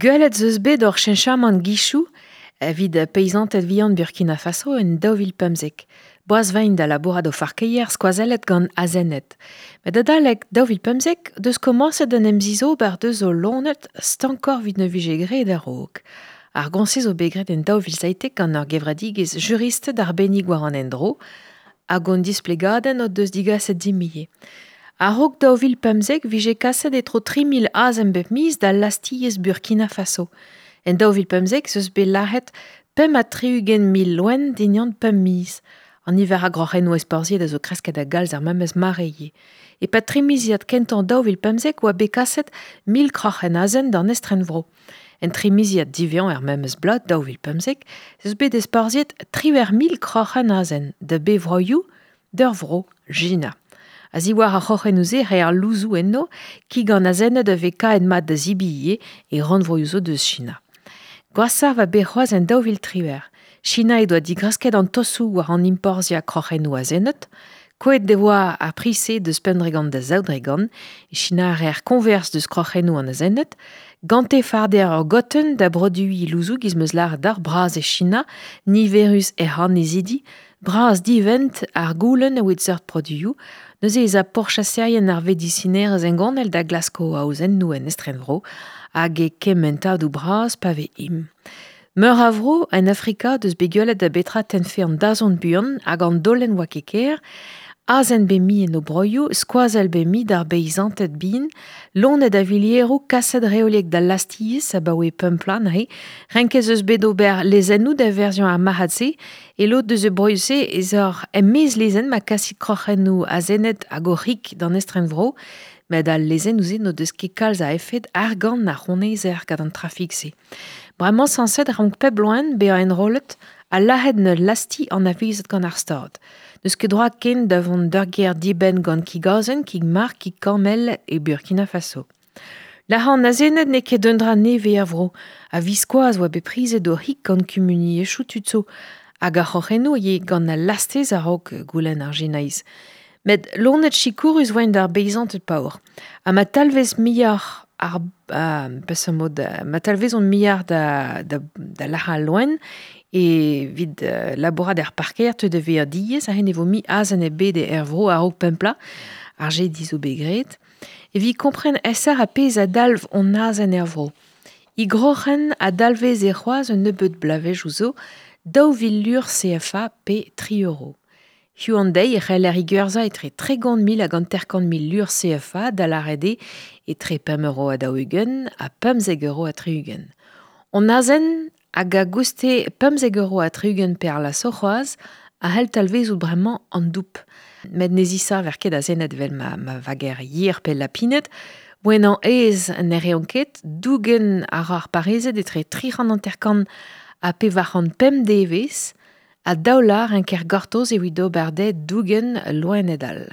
Gwelet 'z eus bet ur cheñchamant gizioù evit peizanted vihan Burkina Faso en 2015. Boaz 'vaint da labourat o farkeier skoazellet gant azened. Met adalek 2015 deus komañset d'en em zizober deus o loened stankoc'h evit ne vije graet a-raok. Ar gont-se zo bet graet en 2017 gant ur gevredigezh juristed arbennik war an endro hag hon displegadenn o deus digaset dimp ivez. A-raok 2015 vije kaset e-tro 3000 azen bep miz da lastez Burkina Faso. En 2015 ez eus bet lazhet 65 loen dindan pemp miz. An niver a groc'hennoù ezporzhiet a zo kresket a-galz er memes mare ivez. E-pad tri miziad kentañ 2015 oa bet kaset 1000 kroc'hen azen d'an estrenvro. En tri miziad diwezhañ er memes bloaz 2015 ez eus bet ezporzhiet 18,000 kroc'hen azen da be vroioù d'ur vro, China. A-ziwar ar c'hroc'hennoù-se e reer louzoù enno, kig an azenned a vez kaet mat da zebriñ ivez e rannvroioù zo deus China. Gwashoc'h 'oa bet c'hoazh en 2018. China he doa digresket an taosoù war an enporzhiañ kroc'hennoù azenned. Kouezhet e oa ar priz-se deus 5% da 2%. E China a reer koñvers deus kroc'hennoù an azenned. Gante farder ur gotenn da broduiñ louzoù 'giz 'm eus lâret deoc'h bras e China, niverus hec'h annezidi, Bras-divent ar goulenn evit seurt produioù, neuze ez a pourchaserien ar vedisinerezh hengounel da glask o aozennoù en estrenvro hag e kementadoù bras pa vez im. Meur a vro en Afrika deus bet gwelet da betra tennfe an dazont buan hag an daolenn oa ket ker, Azen bet mi en o broioù, skoazell bet mi d'ar beizanted bihan, loened a vilieroù kaset reoliek d'al lastez abaoe pemp plat neuze. Renket ez eus bet ober lezennoù da verziañ ar marc'had-se. E lod deus e broioù-se ez eur e-maez lezenn ma kasit kroc'hennoù azened hag o c'hig d'an estrenvro, met al lezennoù-se n'o deus ket kalz a efed argant a c'honezer gant an trafik-se. Bremañ sañset e rank pep loen bezañ enrollet ha lazhet en ul lazhti anavezet gant ar Stad. N'eus ket droad ken da vont d'ur gêr dibenn gant kig-azen, kig-marc'h, kig-kammell e Burkina Faso. Lazhañ an azened n'eo ket un dra nevez er vro. A-viskoazh oa bet prizet o c'hig gant kumuniezhioù tud zo. Hag ar c'hroc'hennoù ivez gant al lastez a-raok goulenn ar Sinaiz. Met loened sikourus 'voent d'ar beizanted paour. Ha ma talvez muioc'h ar peseurt mod ma talvezont muioc'h da da da lazhañ al loen evit labourat er parkeier teu da vezañ diaes aze ne vo mui azen ebet er vro a-raok pemp plat. Ar jediñ zo bet graet. Evit kompren aesoc'h ar pezh a dalv hon azen er vro. E groc'hen a dalveze c'hoazh un nebeud bloavezhioù zo 2000 lur CFA pe tri euro. Hiziv an deiz e c'heller he gwerzhañ etre 30,000 hag 50,000 lur CFA, da lâret eo etre 5 euro ha 40 ha 15 euro ha 60. Hon azen hag a gouste 15 euro ha 60 pe ar laso c'hoazh a c'hell talvezout bremañ an doub. Met ne zisaver ket azened evel ma, ma vager yer pe lapined. Gouennañ aes ne reont ket, dougen a ra ar parezed etre 350 ha 405 devezh ha daou lâr en ker gortoz evit ober dezhe dougen loened all.